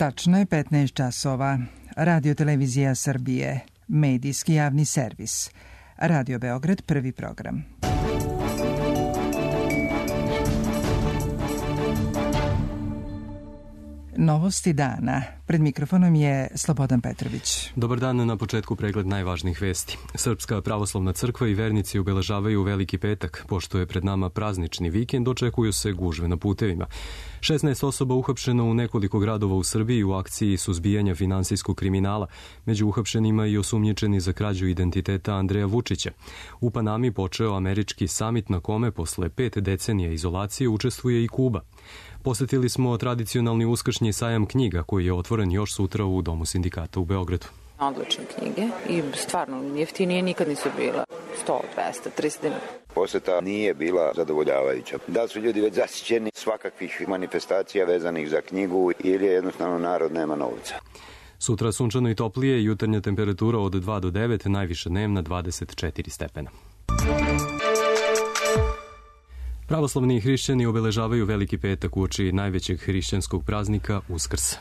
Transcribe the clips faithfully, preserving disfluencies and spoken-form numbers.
Tačno je petnaest časova. Radio Televizija Srbije, medijski javni servis. Radio Beograd, prvi program. Novosti dana. Pred mikrofonom je Slobodan Petrović. Dobar dan, na početku pregled najvažnijih vesti. Srpska pravoslavna crkva i vernici obeležavaju Veliki petak. Pošto je pred nama praznični vikend, očekuju se gužve na putevima. šesnaest osoba uhapšeno u nekoliko gradova u Srbiji u akciji suzbijanja finansijskog kriminala. Među uhapšenima i osumnjičeni za krađu identiteta Andreja Vučića. U Panami počeo američki samit na kome posle pet decenija izolacije učestvuje i Kuba. Posetili smo tradicionalni uskršnji sajam knjiga koji je otvoren još sutra u Domu sindikata u Beogradu. Odlične knjige i stvarno jeftinije nikad nisu bila. sto, dvesta, trista dinara. Poseta nije bila zadovoljavajuća. Da su ljudi već zasićeni svakakvih manifestacija vezanih za knjigu ili jednostavno narod nema novca. Sutra sunčano i toplije, jutarnja temperatura od dva do devet, najviša dnevna dvadeset četiri stepena. Pravoslavni hrišćani obeležavaju Veliki petak uoči najvećeg hrišćanskog praznika Uskrsa.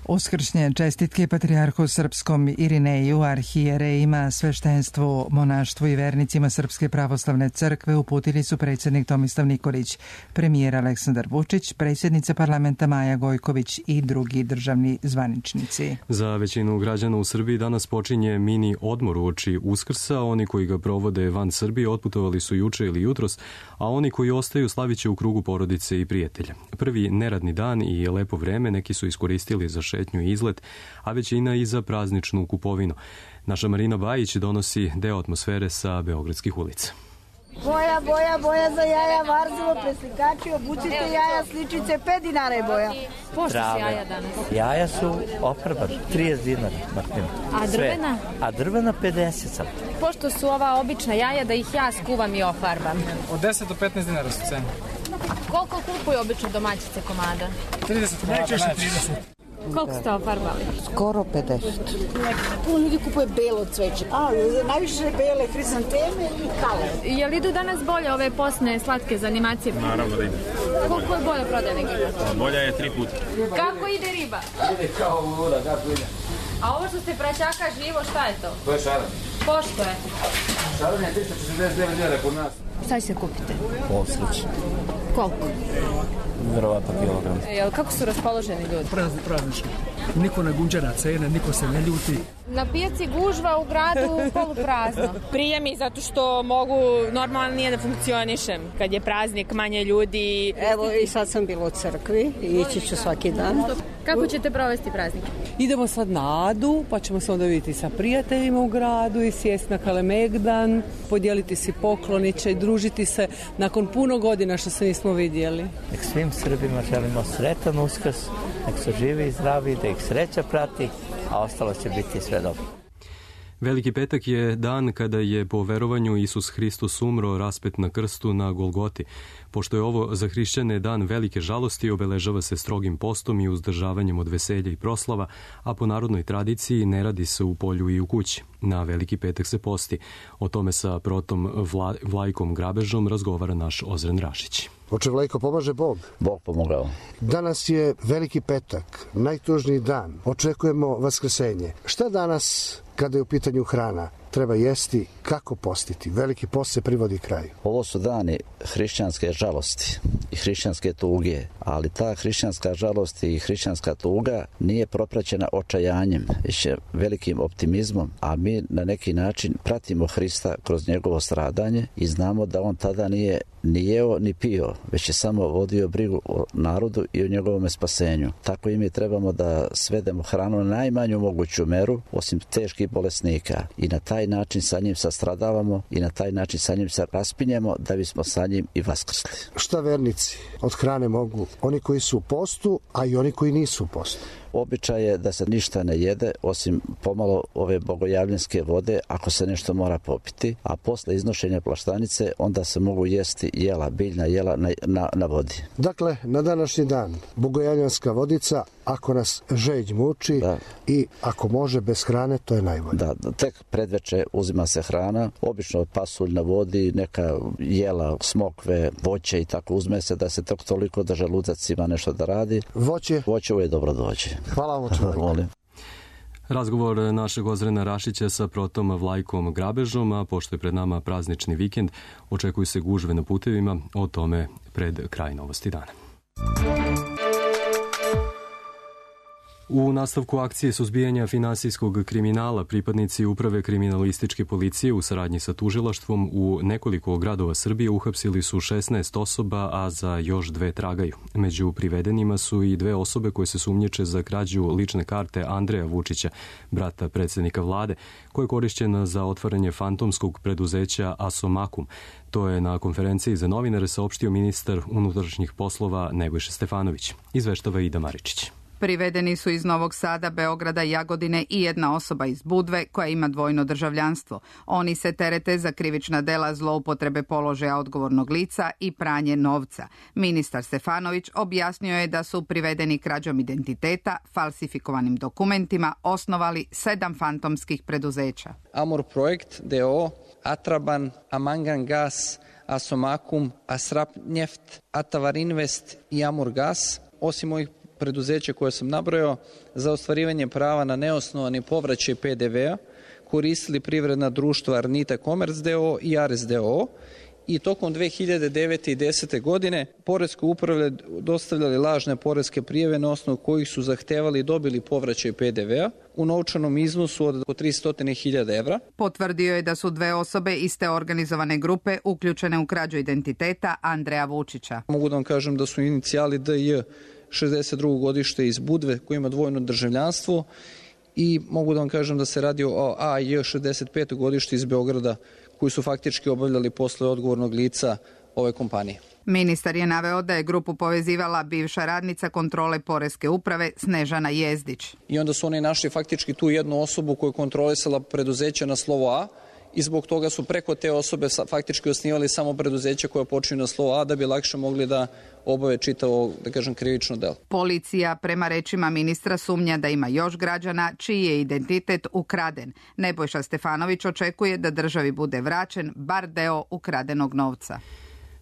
Uskršnje čestitke patrijarhu srpskom Irineju, arhijerejima, sveštenstvu, monaštvu i vernicima Srpske pravoslavne crkve uputili su predsjednik Tomislav Nikolić, premijer Aleksandar Vučić, predsjednica parlamenta Maja Gojković i drugi državni zvaničnici. Za većinu građana u Srbiji danas počinje mini odmor uoči Uskrsa. Oni koji ga provode van Srbije otputovali su juče ili jutros, a oni koji ostaju slaviće u krugu porodice i prijatelja. Prvi neradni dan i lepo vreme neki su iskoristili za šetnju i izlet, a većina i za prazničnu kupovinu. Naša Marina Bajić donosi deo atmosfere sa beogradskih ulica. Boja, boja, boja za jaja, varzovo, preslikači, obucite jaja, sličice, pet dinara je boja. Pošto su jaja danas? Jaja su ofarbana, trideset dinara, Martina. A drvena? A drvena pedeset sam. Pošto su ova obična jaja da ih ja skuvam i ofarbam. Od deset do petnaest dinara su cene. Koliko kupuju obično domaćice komada? trideset, najčešće trideset. Koliko ste ofarbali? Skoro pedeset. Puno ljudi kupuje belo cveće. A, najviše bele hrizanteme i kale. Jel idu danas bolje ove posne slatke za animacije? Naravno da ide. Koliko je bolje prodaje nego idu? Bolja je tri puta. Kako ide riba? Ide kao voda, kako ide. A ovo što ste praćaka živo, šta je to? To je šaran. Pošto je? Šaran je tristo četrdeset devet dinara kod nas. Šta ćete kupite? Oslič. Koliko? Verovatno kilogram. Jel, kako su raspoloženi ljudi? Prazni, praznični. Niko ne gunđa na cene, niko se ne ljuti. Na pijaci gužva, u gradu poluprazno. Prije mi zato što mogu normalnije da funkcionišem. Kad je praznik, manje ljudi. Evo i sad sam bila u crkvi i ići ću svaki dan. Kako ćete provesti praznik? Idemo sad na Adu, pa ćemo se onda vidjeti sa prijateljima u gradu i sjesti na Kalemegdan, podijeliti si pokloniće i družiti se nakon puno godina što se nismo vidjeli. Nek svim Srbima želimo sretan Uskrs, nek su živi i zdravi, da ih sreća prati, a ostalo će biti sve dobro. Veliki petak je dan kada je po verovanju Isus Hristos umro raspet na krstu na Golgoti. Pošto je ovo za hrišćane dan velike žalosti, obeležava se strogim postom i uzdržavanjem od veselja i proslava, a po narodnoj tradiciji ne radi se u polju i u kući. Na Veliki petak se posti. O tome sa protom Vla, Vlajkom Grabežom razgovara naš Ozren Rašić. Oče Vlajko, pomaže Bog. Bog pomogao. Danas je Veliki petak, najtužniji dan. Očekujemo vaskrsenje. Šta danas, kada je u pitanju hrana, treba jesti, kako postiti? Veliki post se privodi kraju. Ovo su dani hrišćanske žalosti i hrišćanske tuge, ali ta hrišćanska žalost i hrišćanska tuga nije propraćena očajanjem, već velikim optimizmom, a mi na neki način pratimo Hrista kroz njegovo stradanje i znamo da on tada nije ni jeo ni pio, već je samo vodio brigu o narodu i o njegovom spasenju. Tako i mi trebamo da svedemo hranu na najmanju moguću meru, osim teških bolesnika, i na taj način sa njim sastradavamo i na taj način sa njim se raspinjemo da bismo sa njim i vaskrsli. Šta vernici od hrane mogu? Oni koji su u postu, a i oni koji nisu u postu. Običaj je da se ništa ne jede osim pomalo ove bogojavljanske vode ako se nešto mora popiti, a posle iznošenja plaštanice onda se mogu jesti jela, biljna jela na, na, na vodi. Dakle, na današnji dan bogojavljanska vodica ako nas žeđ muči da. I ako može bez hrane, to je najbolje. Da, tek predveče uzima se hrana, obično pasulj na vodi, neka jela, smokve, voće i tako uzme se da se tok toliko da želudac ima nešto da radi. Voće? Voće uvijek dobro dođe. Hvala vam čovjek. Razgovor našeg Ozrena Rašića sa Protom Vlajkom Grabežom, a pošto je pred nama praznični vikend, očekuju se gužve na putevima, o tome pred kraj novosti dana. U nastavku akcije suzbijanja finansijskog kriminala pripadnici Uprave kriminalističke policije u saradnji sa tužilaštvom u nekoliko gradova Srbije uhapsili su šesnaest osoba, a za još dve tragaju. Među privedenima su i dve osobe koje se sumnjiče za krađu lične karte Andreja Vučića, brata predsjednika vlade, koja je korišćena za otvaranje fantomskog preduzeća Asomakum. To je na konferenciji za novinare saopštio ministar unutrašnjih poslova Nebojša Stefanović. Izveštava Ida Maričić. Privedeni su iz Novog Sada, Beograda, Jagodine i jedna osoba iz Budve koja ima dvojno državljanstvo. Oni se terete za krivična dela zloupotrebe položaja odgovornog lica i pranje novca. Ministar Stefanović objasnio je da su privedeni krađom identiteta, falsifikovanim dokumentima, osnovali sedam fantomskih preduzeća. Amur Projekt, D O, Atraban, Amangan Gas, Asomakum, Asrap Njeft, Atavar Invest i Amur Gas. Osim ovih preduzeća koje sam nabrojao, za ostvarivanje prava na neosnovani povraćaj P D V-a koristili privredna društva Arnita Commerce D O i Ares D O i tokom dve hiljade devete i dve hiljade desete. godine poreske uprave dostavljali lažne poreske prijave na osnovu kojih su zahtevali i dobili povraćaj P D V-a u novčanom iznosu od oko tristo hiljada evra. Potvrdio je da su dve osobe iste organizovane grupe uključene u krađu identiteta Andreja Vučića. Mogu da vam kažem da su inicijali D J šezdeset drugo godište iz Budve koji ima dvojno državljanstvo i mogu da vam kažem da se radi o A J šezdeset peto godište iz Beograda koji su faktički obavljali posle odgovornog lica ove kompanije. Ministar je naveo da je grupu povezivala bivša radnica kontrole poreske uprave Snežana Jezdić. I onda su oni našli faktički tu jednu osobu koju je kontrolisala preduzeća na slovo A i zbog toga su preko te osobe faktički osnivali samo preduzeća koja počinju na slovo A da bi lakše mogli da obave čitavo, da kažem, krivično delo. Policija, prema rečima ministra, sumnja da ima još građana čiji je identitet ukraden. Nebojša Stefanović očekuje da državi bude vraćen bar deo ukradenog novca.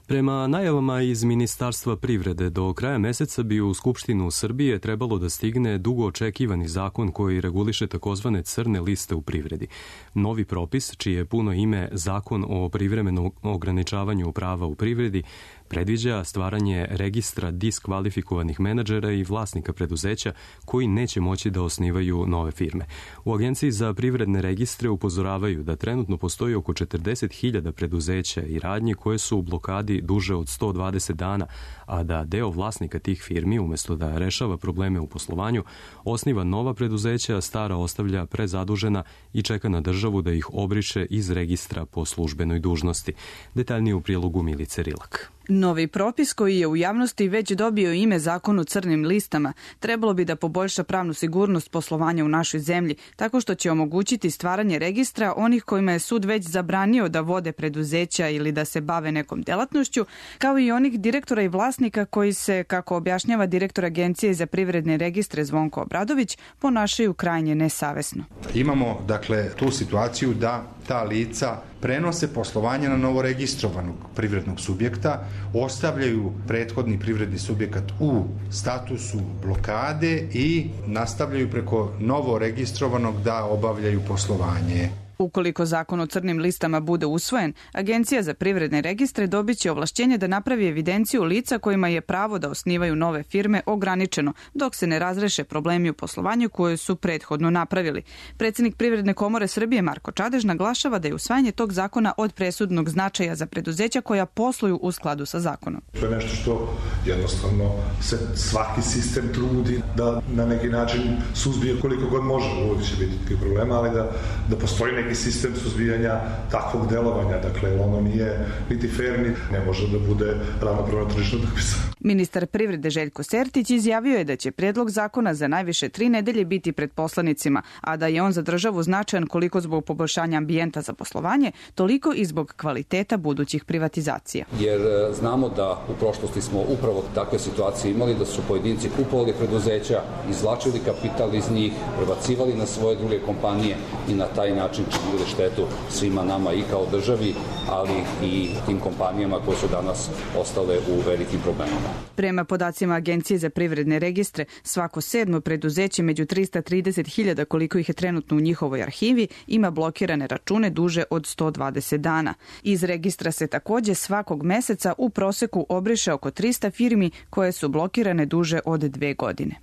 Prema najavama iz Ministarstva privrede, do kraja meseca bi u Skupštinu Srbije trebalo da stigne dugo očekivani zakon koji reguliše takozvane crne liste u privredi. Novi propis, čije je puno ime Zakon o privremenom ograničavanju prava u privredi, predviđa stvaranje registra diskvalifikovanih menadžera i vlasnika preduzeća koji neće moći da osnivaju nove firme. U Agenciji za privredne registre upozoravaju da trenutno postoji oko četrdeset hiljada preduzeća i radnji koje su u blokadi duže od sto dvadeset dana, a da deo vlasnika tih firmi, umjesto da rešava probleme u poslovanju, osniva nova preduzeća, stara ostavlja prezadužena i čeka na državu da ih obriše iz registra po službenoj dužnosti. Detaljnije u prilogu Milice Rilak. Novi propis koji je u javnosti već dobio ime Zakon o crnim listama trebalo bi da poboljša pravnu sigurnost poslovanja u našoj zemlji tako što će omogućiti stvaranje registra onih kojima je sud već zabranio da vode preduzeća ili da se bave nekom delatnošću, kao i onih direktora i vlasnika koji se, kako objašnjava direktor Agencije za privredne registre Zvonko Obradović, ponašaju krajnje nesavesno. Imamo, dakle, tu situaciju da ta lica prenose poslovanje na novoregistrovanog privrednog subjekta, ostavljaju prethodni privredni subjekat u statusu blokade i nastavljaju preko novoregistrovanog da obavljaju poslovanje. Ukoliko zakon o crnim listama bude usvojen, Agencija za privredne registre dobit će ovlašćenje da napravi evidenciju lica kojima je pravo da osnivaju nove firme ograničeno, dok se ne razreše problemi u poslovanju koje su prethodno napravili. Predsjednik Privredne komore Srbije Marko Čadež naglašava da je usvajanje tog zakona od presudnog značaja za preduzeća koja posluju u skladu sa zakonom. To je nešto što jednostavno se svaki sistem trudi da na neki način suzbije koliko god može. Uvijek će biti tih problema, ali da, da postoji neki neki sistem suzbijanja takvog delovanja. Dakle, ono nije niti fair, niti ne može da bude ravnopravna tržišna utakmica. Ministar privrede Željko Sertić izjavio je da će predlog zakona za najviše tri nedelje biti pred poslanicima, a da je on za državu značajan koliko zbog poboljšanja ambijenta za poslovanje, toliko i zbog kvaliteta budućih privatizacija. Jer znamo da u prošlosti smo upravo takve situacije imali, da su pojedinci kupovali preduzeća, izvlačili kapital iz njih, prebacivali na svoje druge kompanije i na taj način činili štetu svima nama i kao državi, ali i tim kompanijama koje su danas ostale u velikim problemima. Prema podacima Agencije za privredne registre, svako sedmo preduzeće među trista trideset hiljada koliko ih je trenutno u njihovoj arhivi ima blokirane račune duže od sto dvadeset dana. Iz registra se takođe svakog meseca u proseku obriše oko trista firmi koje su blokirane duže od dve godine.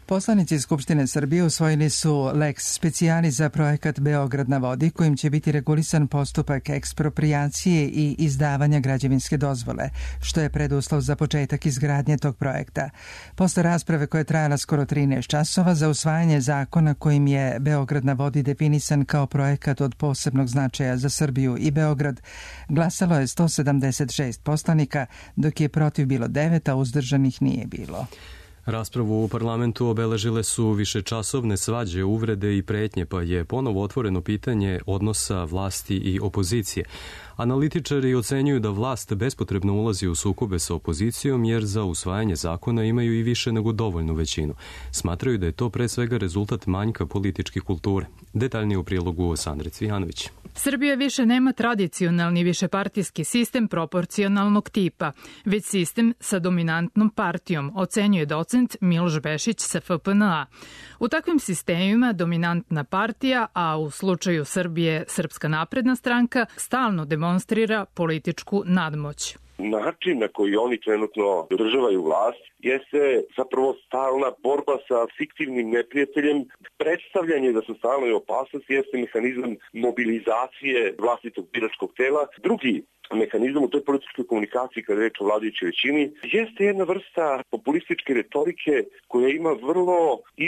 Poslanici Skupštine Srbije usvojili su lex specialis za projekat Beograd na vodi, kojim će biti regulisan postupak eksproprijacije i izdavanja građevinske dozvole, što je preduslov za početak izgradnje tog projekta. Posle rasprave koja je trajala skoro trinaest časova za usvajanje zakona kojim je Beograd na vodi definisan kao projekat od posebnog značaja za Srbiju i Beograd, glasalo je sto sedamdeset šest poslanika, dok je protiv bilo devet, a uzdržanih nije bilo. Raspravu u parlamentu obeležile su višečasovne svađe, uvrede i pretnje, pa je ponovo otvoreno pitanje odnosa vlasti i opozicije. Analitičari ocenjuju da vlast bespotrebno ulazi u sukobe sa opozicijom jer za usvajanje zakona imaju i više nego dovoljnu većinu. Smatraju da je to pre svega rezultat manjka političke kulture. Detaljnije u prilogu Sandre Cvijanović. Srbija više nema tradicionalni višepartijski sistem proporcionalnog tipa, već sistem sa dominantnom partijom, ocenjuje docent Miloš Bešić sa F P N A. U takvim sistemima dominantna partija, a u slučaju Srbije Srpska napredna stranka, stalno demonstrira političku nadmoć. Način na koji oni trenutno održavaju vlast jeste zapravo stalna borba sa fiktivnim neprijateljem. Predstavljanje da su stalno i opasnosti jeste mehanizam mobilizacije vlastitog biračkog tela. Drugi mehanizam u toj političkoj komunikaciji kada je reč o vladajućoj većini jeste jedna vrsta populističke retorike koja ima vrlo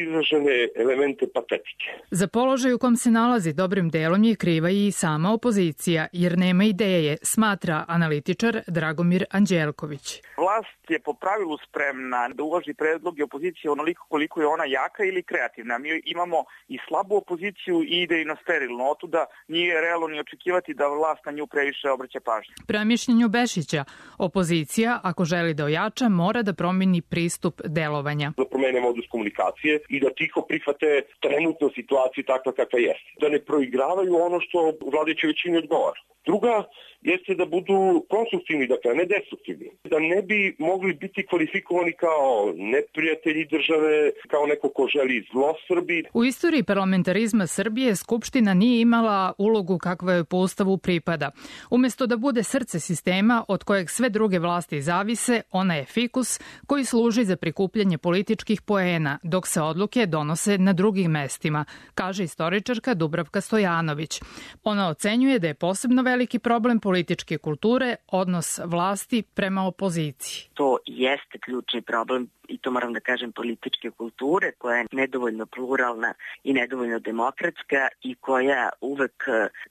izražene elemente patetike. Za položaj u kom se nalazi dobrim delom je kriva i sama opozicija, jer nema ideje, smatra analitičar Dragomir Anđelković. Vlast je po pravilu spremna da uvaži predloge opozicije onoliko koliko je ona jaka ili kreativna. Mi imamo i slabu opoziciju i ide i na sterilno. Otuda nije realno ni očekivati da vlast na nju previše obraća pažnju. Prema mišljenju Bešića, opozicija, ako želi da ojača, mora da promeni pristup delovanja. Da promene modus komunikacije i da tiho prihvate trenutnu situaciju takva kakva jeste. Da ne proigravaju ono što vladajućoj većini odgovara. Druga jeste da budu konstruktivni, dakle, ne destruktivni. Da ne bi mogli biti kvalifikovani kao neprijatelji države, kao neko ko želi zlo Srbiji. U istoriji parlamentarizma Srbije Skupština nije imala ulogu kakva joj po Ustavu pripada. Umesto da bude srce sistema od kojeg sve druge vlasti zavise, ona je fikus koji služi za prikupljanje političkih poena, dok se odluke donose na drugim mestima, kaže istoričarka Dubravka Stojanović. Ona ocenjuje da je posebno veliki problem političke kulture odnos vlasti prema opoziciji. To jeste ključni problem i to moram da kažem političke kulture koja je nedovoljno pluralna i nedovoljno demokratska i koja uvek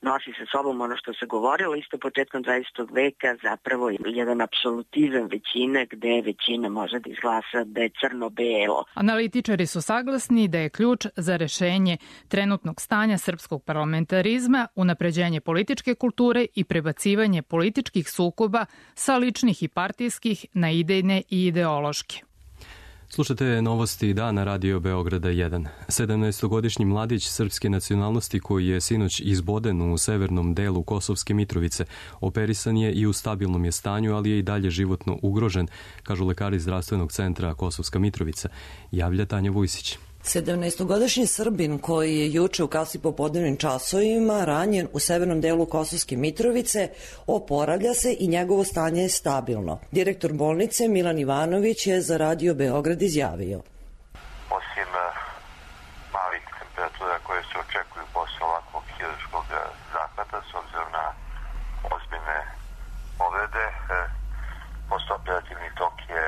nosi sa sobom ono što se govorilo isto početkom dvadesetog veka, zapravo jedan apsolutizam većine gde većina može da izglasa da je crno-belo. Analitičari su saglasni da je ključ za rešenje trenutnog stanja srpskog parlamentarizma unapređenje političke kulture i prebacivanje političkih sukoba sa ličnih i partijskih na idejne i ideološke. Slušate novosti dana Radio Beograda jedan. sedamnaestogodišnji mladić srpske nacionalnosti koji je sinoć izboden u severnom delu Kosovske Mitrovice operisan je i u stabilnom je stanju, ali je i dalje životno ugrožen, kažu lekari zdravstvenog centra Kosovska Mitrovica. Javlja Tanja Vujsić. sedamnaestogodišnji Srbin koji je juče u kasnim popodnevnim časovima ranjen u severnom delu Kosovske Mitrovice oporavlja se i njegovo stanje je stabilno. Direktor bolnice Milan Ivanović je za Radio Beograd izjavio. Osim malih temperatura koje se očekuju posle ovakvog hirurškog zahvata s obzirom na ozbiljne povrede, postoperativni tok je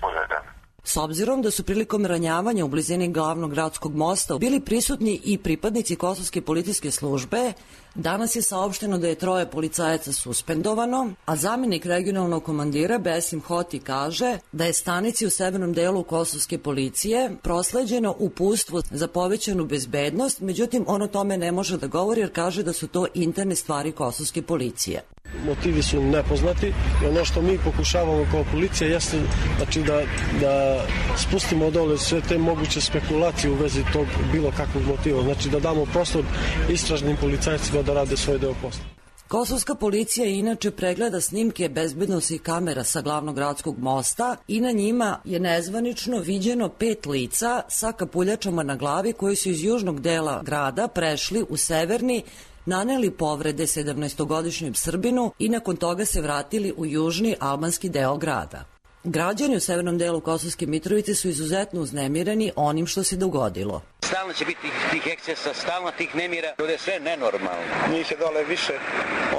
uredan. S obzirom da su prilikom ranjavanja u blizini glavnog gradskog mosta bili prisutni i pripadnici kosovske policijske službe, danas je saopšteno da je troje policajaca suspendovano, a zamjenik regionalnog komandira Besim Hoti kaže da je stanici u severnom delu kosovske policije prosleđeno uputstvo za povećanu bezbednost, međutim on o tome ne može da govori jer kaže da su to interne stvari kosovske policije. Motivi su nepoznati i ono što mi pokušavamo kao policija jeste znači da, da spustimo dole sve te moguće spekulacije u vezi tog bilo kakvog motiva, znači da damo prostor istražnim policajcima da rade svoj deo posla. Kosovska policija inače pregleda snimke bezbednosnih kamera sa glavnog gradskog mosta i na njima je nezvanično viđeno pet lica sa kapuljačama na glavi koji su iz južnog dela grada prešli u severni, naneli povrede sedamnaestogodišnjem Srbinu i nakon toga se vratili u južni albanski deo grada. Građani u severnom delu Kosovske Mitrovice su izuzetno uznemireni onim što se dogodilo. Stalno će biti tih ekscesa, stalno tih nemira, to je sve nenormalno. Njih je dole više,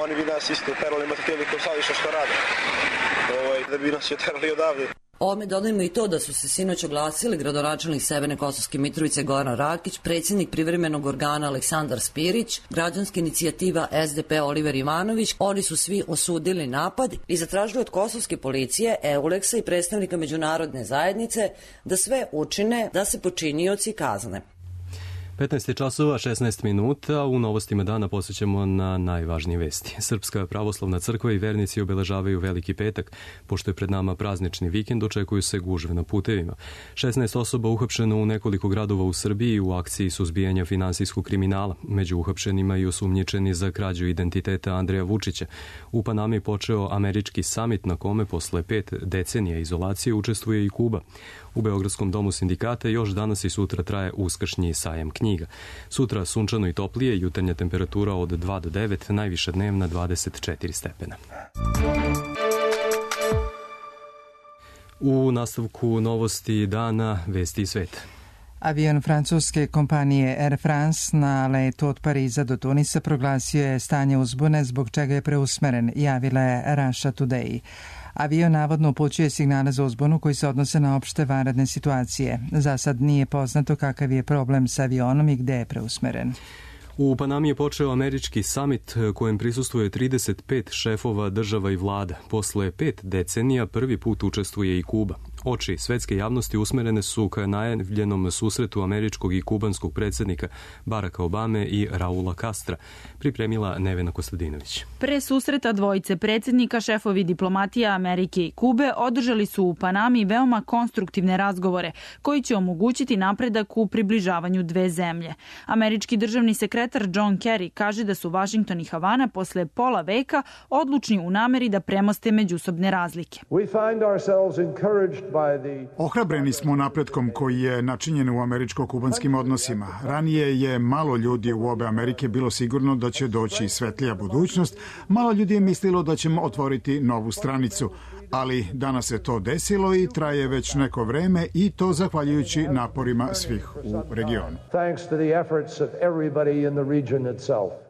oni bi nas isto terali materijali ko saviše što rade, ovaj, da bi nas je terali odavde. Ovome dodajemo i to da su se sinoć oglasili gradonačelnik Severne Kosovske Mitrovice Goran Rakić, predsjednik privremenog organa Aleksandar Spirić, građanska inicijativa S D P Oliver Ivanović. Oni su svi osudili napad i zatražili od kosovske policije, Euleksa i predstavnika međunarodne zajednice da sve učine da se počinioci kazne. petnaest časova šesnaest minuta, u novostima dana posjećamo na najvažnije vesti. Srpska pravoslavna crkva i vernici obeležavaju Veliki petak. Pošto je pred nama praznični vikend, očekuju se gužve na putevima. šesnaest osoba uhapšeno u nekoliko gradova u Srbiji u akciji suzbijanja finansijskog kriminala. Među uhapšenima i osumnjičeni za krađu identiteta Andreja Vučića. U Panami počeo američki samit na kome posle pet decenija izolacije učestvuje i Kuba. U Beogradskom domu sindikata još danas i sutra traje uskršnji sajam knjiga. Sutra sunčano i toplije, jutarnja temperatura od dva do devet, najviša dnevna dvadeset četiri stepena. U nastavku novosti dana, vesti i sveta. Avion francuske kompanije Air France na letu od Pariza do Tunisa proglasio je stanje uzbune zbog čega je preusmeren, javila je Russia Today. Avion navodno upućuje signale za uzbunu koji se odnose na opšte vanredne situacije. Za sad nije poznato kakav je problem sa avionom i gde je preusmeren. U Panami je počeo američki samit kojem prisustvuje trideset pet šefova država i vlada. Posle pet decenija prvi put učestvuje i Kuba. Oči svetske javnosti usmerene su ka najavljenom susretu američkog i kubanskog predsjednika Baracka Obame i Raula Castra, pripremila Nevena Kostadinović. Pre susreta dvojice predsjednika, šefovi diplomatija Amerike i Kube održali su u Panami veoma konstruktivne razgovore koji će omogućiti napredak u približavanju dve zemlje. Američki državni sekretar John Kerry kaže da su Washington i Havana posle pola veka odlučni u nameri da premoste međusobne razlike. Ohrabreni smo napretkom koji je načinjen u američko-kubanskim odnosima. Ranije je malo ljudi u obe Amerike bilo sigurno da će doći svetlija budućnost, malo ljudi je mislilo da ćemo otvoriti novu stranicu. Ali danas se to desilo i traje već neko vreme i to zahvaljujući naporima svih u regionu.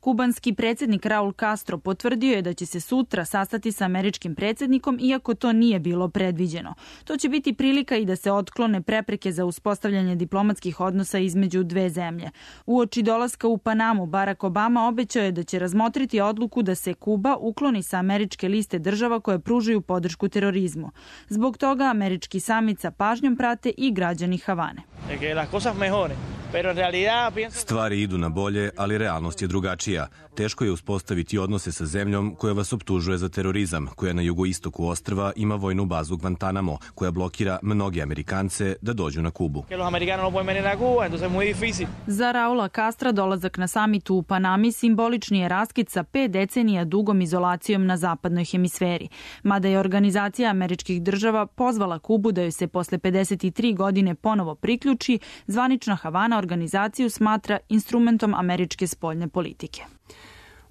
Kubanski predsjednik Raul Castro potvrdio je da će se sutra sastati sa američkim predsjednikom, iako to nije bilo predviđeno. To će biti prilika i da se otklone prepreke za uspostavljanje diplomatskih odnosa između dve zemlje. Uoči dolaska u Panamu, Barack Obama obećao je da će razmotriti odluku da se Kuba ukloni sa američke liste država koje pružaju podršku terorizmu. Zbog toga američki samit sa pažnjom prate i građani Havane. Stvari idu na bolje, ali realnost je drugačija. Teško je uspostaviti odnose sa zemljom koja vas optužuje za terorizam, koja na jugoistoku ostrva ima vojnu bazu Guantanamo, koja blokira mnoge Amerikance da dođu na Kubu. Za Raula Castra dolazak na samitu u Panami simbolični je raskid sa pet decenija dugom izolacijom na zapadnoj hemisferi. Mada je Organizacija američkih država pozvala Kubu da joj se posle pedeset tri godine ponovo priključi, zvanična Havana organizaciju smatra instrumentom američke spoljne politike.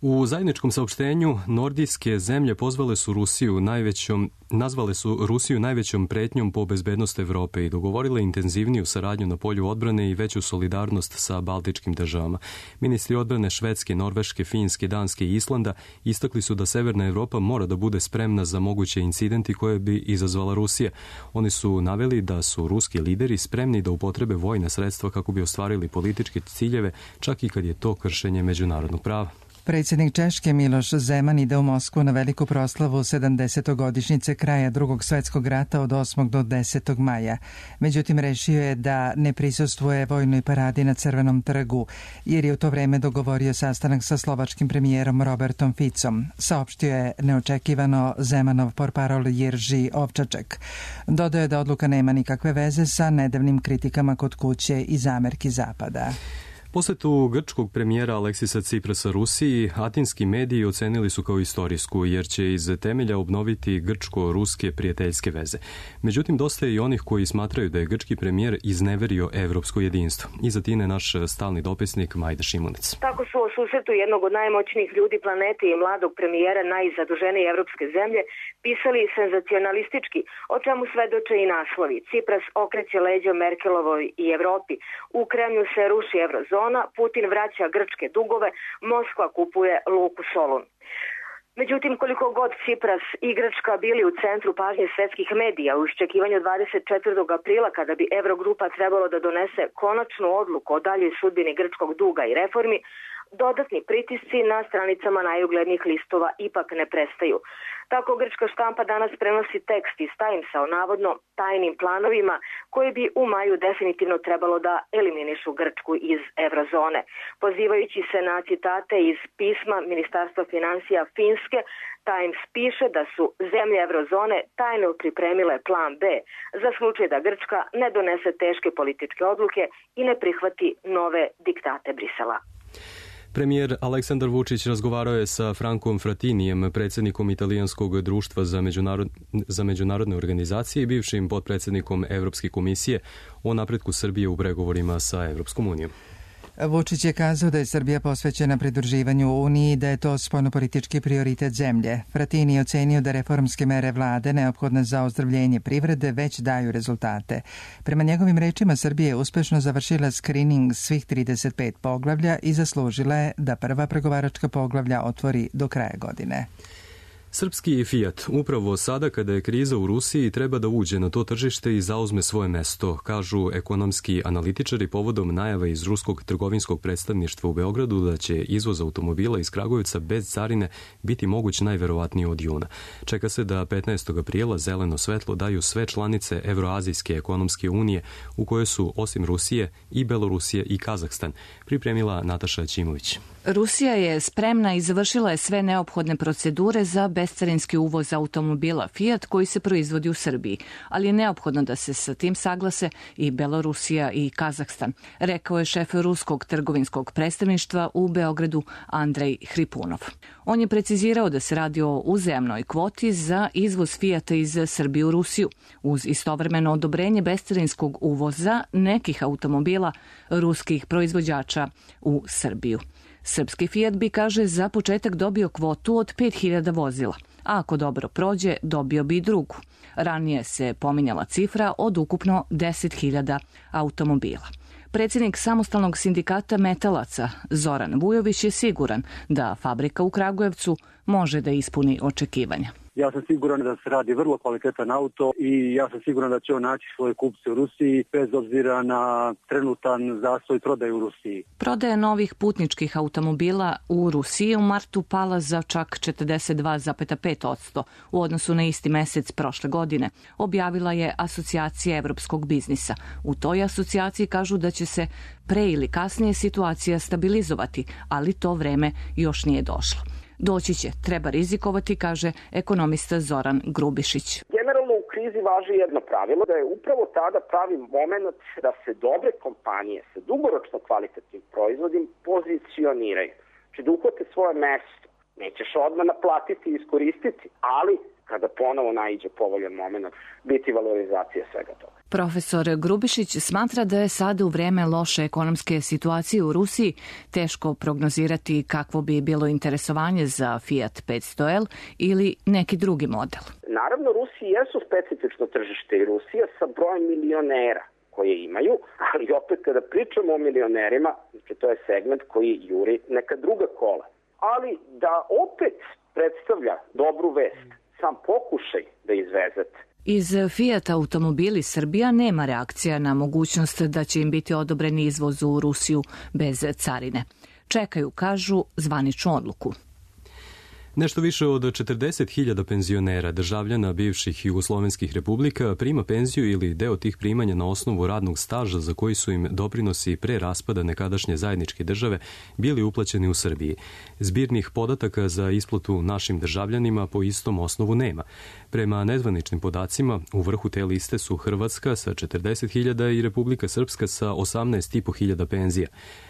U zajedničkom saopštenju nordijske zemlje pozvale su Rusiju najvećom, nazvale su Rusiju najvećom pretnjom po bezbednost Evrope i dogovorile intenzivniju saradnju na polju odbrane i veću solidarnost sa baltičkim državama. Ministri odbrane Švedske, Norveške, Finske, Danske i Islanda istakli su da Severna Evropa mora da bude spremna za moguće incidenti koje bi izazvala Rusija. Oni su naveli da su ruski lideri spremni da upotrebe vojna sredstva kako bi ostvarili političke ciljeve, čak i kad je to kršenje međunarodnog prava. Predsjednik Češke Miloš Zeman ide u Moskvu na veliku proslavu sedamdesetogodišnjice kraja Drugog svjetskog rata od osmog do desetog maja. Međutim, rešio je da ne prisustvuje vojnoj paradi na Crvenom trgu, jer je u to vreme dogovorio sastanak sa slovačkim premijerom Robertom Ficom, saopštio je neočekivano Zemanov portparol Jerži Ovčaček. Dodao je da odluka nema nikakve veze sa nedavnim kritikama kod kuće i zamerki Zapada. Posetu grčkog premijera Aleksisa Ciprasa Rusiji atinski mediji ocenili su kao istorijsku, jer će iz temelja obnoviti grčko-ruske prijateljske veze. Međutim, dosta je i onih koji smatraju da je grčki premijer izneverio evropsko jedinstvo. Iz Atine naš stalni dopisnik Majda Šimunec. Tako su o susretu jednog od najmoćnijih ljudi planete i mladog premijera najzaduženije evropske zemlje pisali senzacionalistički, o čemu svedoče i naslovi. Cipras okreće leđa Merkelovoj i Evropi, u Kremlju se ruši eurozona, Putin vraća grčke dugove, Moskva kupuje luku Solun. Međutim, koliko god Cipras i Grčka bili u centru pažnje svetskih medija u iščekivanju dvadeset četvrtog aprila kada bi Eurogrupa trebalo da donese konačnu odluku o daljoj sudbini grčkog duga i reformi, dodatni pritisci na stranicama najuglednijih listova ipak ne prestaju. Tako grčka štampa danas prenosi tekst iz Timesa o navodno tajnim planovima koji bi u maju definitivno trebalo da eliminišu Grčku iz eurozone. Pozivajući se na citate iz pisma Ministarstva finansija Finske, Times piše da su zemlje eurozone tajno pripremile plan B za slučaj da Grčka ne donese teške političke odluke i ne prihvati nove diktate Brisela. Premijer Aleksandar Vučić razgovarao je sa Frankom Fratinijem, predsjednikom Italijanskog društva za, međunarod... za međunarodne organizacije i bivšim potpredsjednikom Evropske komisije o napretku Srbije u pregovorima sa Evropskom unijom. Vučić je kazao da je Srbija posvećena pridruživanju Uniji i da je to spoljnopolitički prioritet zemlje. Fratini je ocenio da reformske mere vlade neophodne za ozdravljenje privrede već daju rezultate. Prema njegovim rečima, Srbija je uspešno završila skrining svih trideset pet poglavlja i zaslužila je da prva pregovaračka poglavlja otvori do kraja godine. Srpski Fiat upravo sada kada je kriza u Rusiji treba da uđe na to tržište i zauzme svoje mesto, kažu ekonomski analitičari povodom najave iz ruskog trgovinskog predstavništva u Beogradu da će izvoz automobila iz Kragujevca bez carine biti moguć najverovatnije od juna. Čeka se da petnaestog aprila zeleno svetlo daju sve članice Evroazijske ekonomske unije u kojoj su osim Rusije i Belorusije i Kazahstan, pripremila Nataša Ćimović. Rusija je spremna i završila je sve neophodne procedure za bescarinski uvoz automobila Fiat koji se proizvodi u Srbiji, ali je neophodno da se sa tim saglase i Belorusija i Kazahstan, rekao je šef ruskog trgovinskog predstavništva u Beogradu Andrej Hripunov. On je precizirao da se radi o uzajamnoj kvoti za izvoz Fiata iz Srbije u Rusiju, uz istovremeno odobrenje bescarinskog uvoza nekih automobila ruskih proizvođača u Srbiju. Srpski Fiat bi, kaže, za početak dobio kvotu od pet hiljada vozila, a ako dobro prođe, dobio bi i drugu. Ranije se pominjala cifra od ukupno deset hiljada automobila. Predsjednik samostalnog sindikata metalaca Zoran Vujović je siguran da fabrika u Kragujevcu može da ispuni očekivanja. Ja sam siguran da se radi vrlo kvalitetan auto i ja sam siguran da će on naći svoje kupce u Rusiji bez obzira na trenutan zastoj prodaje u Rusiji. Prodaja novih putničkih automobila u Rusiji u martu pala za čak četrdeset dva zarez pet posto u odnosu na isti mesec prošle godine, objavila je Asocijacija evropskog biznisa. U toj asocijaciji kažu da će se pre ili kasnije situacija stabilizovati, ali to vreme još nije došlo. Doći će, treba rizikovati, kaže ekonomista Zoran Grubišić. Generalno u krizi važi jedno pravilo, da je upravo tada pravi moment da se dobre kompanije sa dugoročno kvalitetnim proizvodima pozicioniraju. Znači da uhvate svoje mesto Nećeš odmah naplatiti i iskoristiti, ali kada ponovo naiđe povoljan moment, biti valorizacija svega toga. Profesor Grubišić smatra da je sada u vreme loše ekonomske situacije u Rusiji teško prognozirati kakvo bi bilo interesovanje za Fiat petsto L ili neki drugi model. Naravno, Rusiji jesu specifično tržište i Rusija sa brojem milionera koje imaju, ali opet kada pričamo o milionerima, znači to je segment koji juri neka druga kola. Ali da opet predstavlja dobru vest, sam pokušaj da izvezete. Iz Fiat Automobili Srbija nema reakcija na mogućnost da će im biti odobren izvoz u Rusiju bez carine. Čekaju, kažu, zvaničnu odluku. Nešto više od četrdeset hiljada penzionera, državljana bivših jugoslovenskih republika, prima penziju ili deo tih primanja na osnovu radnog staža za koji su im doprinosi pre raspada nekadašnje zajedničke države bili uplaćeni u Srbiji. Zbirnih podataka za isplatu našim državljanima po istom osnovu nema. Prema nezvaničnim podacima, u vrhu te liste su Hrvatska sa četrdeset hiljada i Republika Srpska sa osamnaest i po hiljada penzija.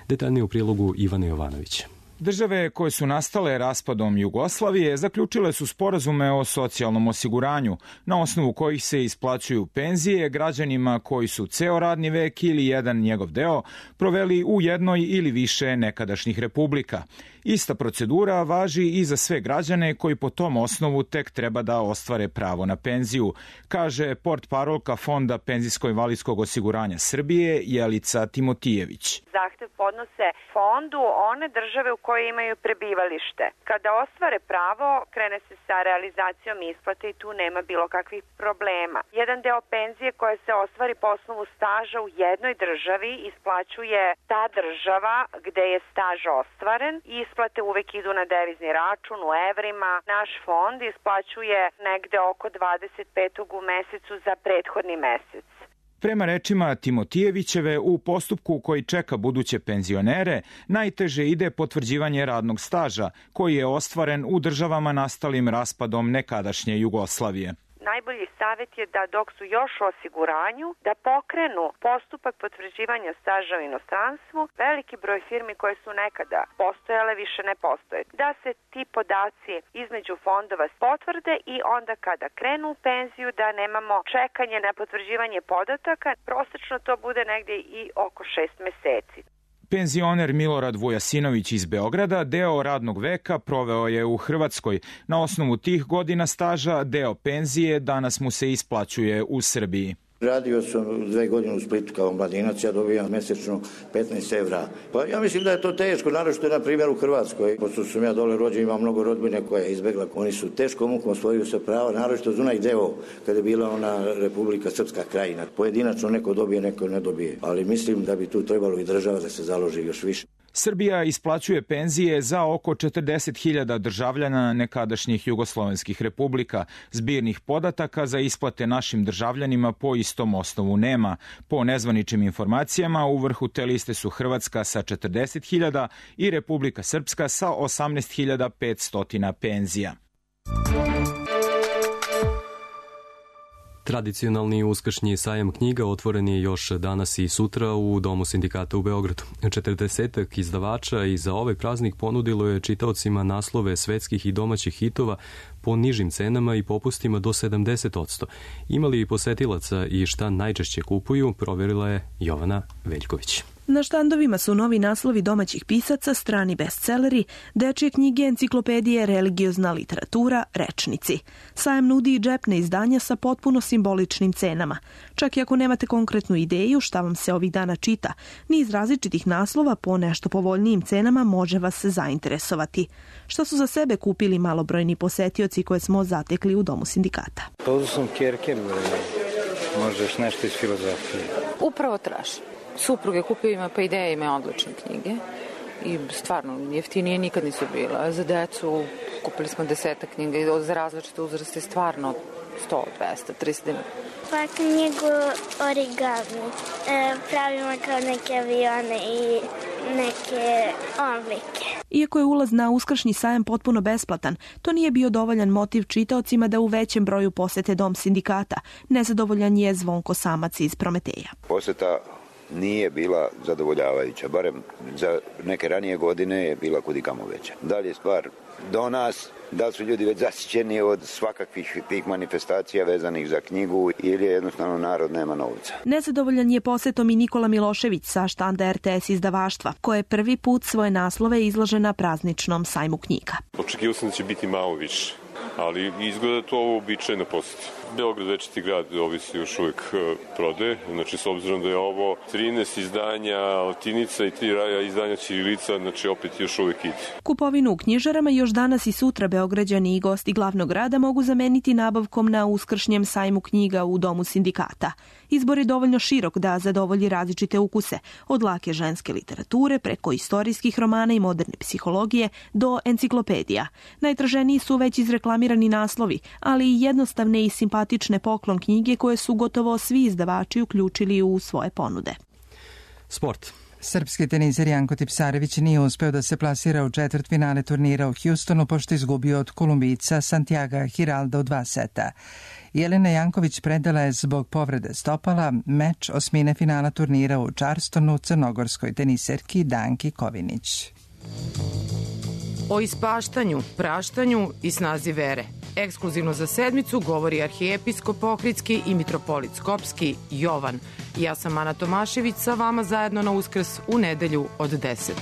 Detaljnije u prilogu Ivana Jovanovića. Države koje su nastale raspadom Jugoslavije zaključile su sporazume o socijalnom osiguranju, na osnovu kojih se isplaćuju penzije građanima koji su ceo radni vek ili jedan njegov deo proveli u jednoj ili više nekadašnjih republika. Ista procedura važi i za sve građane koji po tom osnovu tek treba da ostvare pravo na penziju, kaže portparolka Fonda penzijsko-invalidskog osiguranja Srbije Jelica Timotijević. Zahtev podnose fondu one države u kojoj imaju prebivalište. Kada ostvare pravo, krene se sa realizacijom isplate i tu nema bilo kakvih problema. Jedan deo penzije koje se ostvari po osnovu staža u jednoj državi isplaćuje ta država gde je staž ostvaren i isplate uvek idu na devizni račun u evrima. Naš fond isplaćuje negde oko dvadeset petog u mesecu za prethodni mesec. Prema rečima Timotijevićeve, u postupku koji čeka buduće penzionere, najteže ide potvrđivanje radnog staža, koji je ostvaren u državama nastalim raspadom nekadašnje Jugoslavije. Najbolji savjet je da dok su još u osiguranju, da pokrenu postupak potvrđivanja staža u inostranstvu. Veliki broj firmi koje su nekada postojale više ne postoje. Da se ti podaci između fondova potvrde i onda kada krenu u penziju da nemamo čekanje na potvrđivanje podataka, prosečno to bude negdje i oko šest meseci. Penzioner Milorad Vujasinović iz Beograda deo radnog veka proveo je u Hrvatskoj. Na osnovu tih godina staža deo penzije danas mu se isplaćuje u Srbiji. Radio sam dve godine u Splitu kao mladinac, ja dobijam mesečno petnaest evra. Pa ja mislim da je to teško, naročito na primjer u Hrvatskoj. Pošto sam ja dole rođen, imam mnogo rodbine koja je izbegla. Oni su teško mukom osvojili se prava, naročito za onaj deo kada je bila ona Republika Srpska krajina. Pojedinačno neko dobije, neko ne dobije. Ali mislim da bi tu trebalo i država da se založi još više. Srbija isplaćuje penzije za oko četrdeset hiljada državljana nekadašnjih jugoslovenskih republika. Zbirnih podataka za isplate našim državljanima po istom osnovu nema. Po nezvaničnim informacijama, u vrhu te liste su Hrvatska sa četrdeset hiljada i Republika Srpska sa osamnaest hiljada petsto penzija. Tradicionalni uskršnji sajam knjiga otvoren je još danas i sutra u Domu sindikata u Beogradu. četrdesetak izdavača i za ovaj praznik ponudilo je čitaocima naslove svetskih i domaćih hitova po nižim cenama i popustima do sedamdeset odsto. Imali i posetilaca i šta najčešće kupuju, proverila je Jovana Veljković. Na štandovima su novi naslovi domaćih pisaca, strani bestseleri, dečje knjige, enciklopedije, religiozna literatura, rečnici. Sajam nudi i džepne izdanja sa potpuno simboličnim cenama. Čak i ako nemate konkretnu ideju šta vam se ovih dana čita, niz različitih naslova po nešto povoljnijim cenama može vas zainteresovati. Što su za sebe kupili malobrojni posetioci koje smo zatekli u Domu sindikata? Pozvao sam Kjerke, možeš nešto iz filozofije. Upravo tražim. Supruge kupio ima pa ideje, ima odlične knjige i stvarno jeftinije nikad nisu bila. Za decu kupili smo desetak knjiga za različite uzraste, stvarno sto, dvesta, trista dinara. Pa knjigu origami. E, pravimo kao neke avione i neke omlike. Iako je ulaz na uskršnji sajam potpuno besplatan, to nije bio dovoljan motiv čitaocima da u većem broju posete Dom sindikata. Nezadovoljan je Zvonko Samac iz Prometeja. Poseta nije bila zadovoljavajuća, barem za neke ranije godine je bila kudikamo veća. Da li je stvar do nas, da li su ljudi već zasićeni od svakakvih tih manifestacija vezanih za knjigu ili jednostavno narod nema novca. Nezadovoljan je posetom i Nikola Milošević sa štanda er te es izdavaštva, koje je prvi put svoje naslove izlaže na prazničnom sajmu knjiga. Očekivao sam da će biti malo više, ali izgleda to ovo uobičajena poseta. Beograd, večiti grad, ovisi još uvijek prodaje, znači s obzirom da je ovo trinaest izdanja latinica i tri raja izdanja ćirilica, znači opet još uvijek ide. Kupovinu u knjižarama još danas i sutra Beograđani i gosti glavnog grada mogu zameniti nabavkom na uskršnjem sajmu knjiga u Domu sindikata. Izbor je dovoljno širok da zadovolji različite ukuse, od lake ženske literature preko istorijskih romana i moderne psihologije do enciklopedija. Najtraženiji su već izreklamirani naslovi, ali i jednostavne i simpatične poklon knjige koje su gotovo svi izdavači uključili u svoje ponude. Sport. Srpski teniser Janko Tipsarević nije uspeo da se plasira u četvrtfinale turnira u Houstonu pošto izgubio od Kolumbijca Santiaga Giralda u dva seta. Jelena Janković predala je zbog povrede stopala meč osmine finala turnira u Charlestonu crnogorskoj teniserki Danki Kovinić. O ispaštanju, praštanju i snazi vere. Ekskluzivno za sedmicu govori arhijepiskop Ohridski i mitropolit Skopski Jovan. Ja sam Ana Tomašević, sa vama zajedno na Uskrs u nedelju od deset.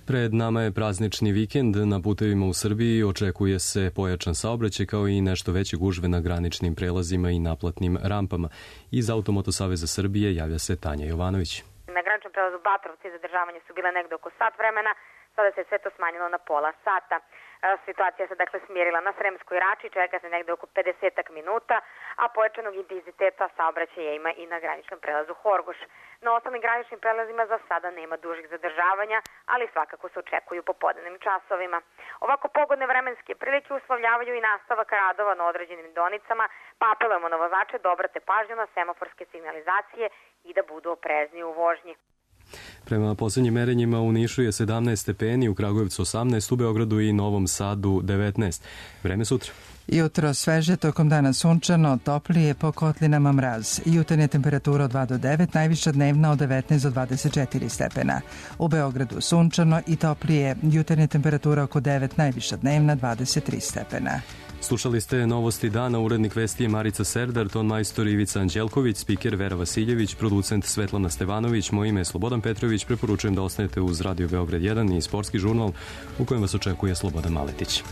Pred nama je praznični vikend. Na putevima u Srbiji očekuje se pojačan saobraćaj kao i nešto veće gužve na graničnim prelazima i naplatnim rampama. Iz Automoto Saveza Srbije javlja se Tanja Jovanović. Na graničnom prelazu Batrovci zadržavanje su bile negde oko sat vremena, sada se sve to smanjilo na pola sata. Situacija se dakle smirila na Sremskoj Rači, čeka se negde oko pedesetak minuta, a pojačanog intenziteta saobraćaja ima i na graničnom prelazu Horgoš. Na ostalim graničnim prelazima za sada nema dužih zadržavanja, ali svakako se očekuju popodnevnim časovima. Ovako pogodne vremenske prilike uslovljavaju i nastavak radova na određenim deonicama, pa apelujemo na vozače da obrate pažnju na semaforske signalizacije i da budu oprezni u vožnji. Prema poslednjim merenjima u Nišu je sedamnaest stepeni, u Kragujevcu osamnaest, u Beogradu i Novom Sadu devetnaest. Vreme sutra. Jutro sveže, tokom dana sunčano, toplije, po kotlinama mraz. Jutarnja temperatura od dva do devet, najviša dnevna od devetnaest do dvadeset četiri stepena. U Beogradu sunčano i toplije, jutarnja temperatura oko devet, najviša dnevna dvadeset tri stepena. Slušali ste Novosti dana, urednik vesti je Marica Serdar, ton majstor Ivica Anđelković, spiker Vera Vasiljević, producent Svetlana Stevanović, moje ime je Slobodan Petrović, preporučujem da ostanete uz Radio Beograd jedan i sportski žurnal u kojem vas očekuje Slobodan Maletić.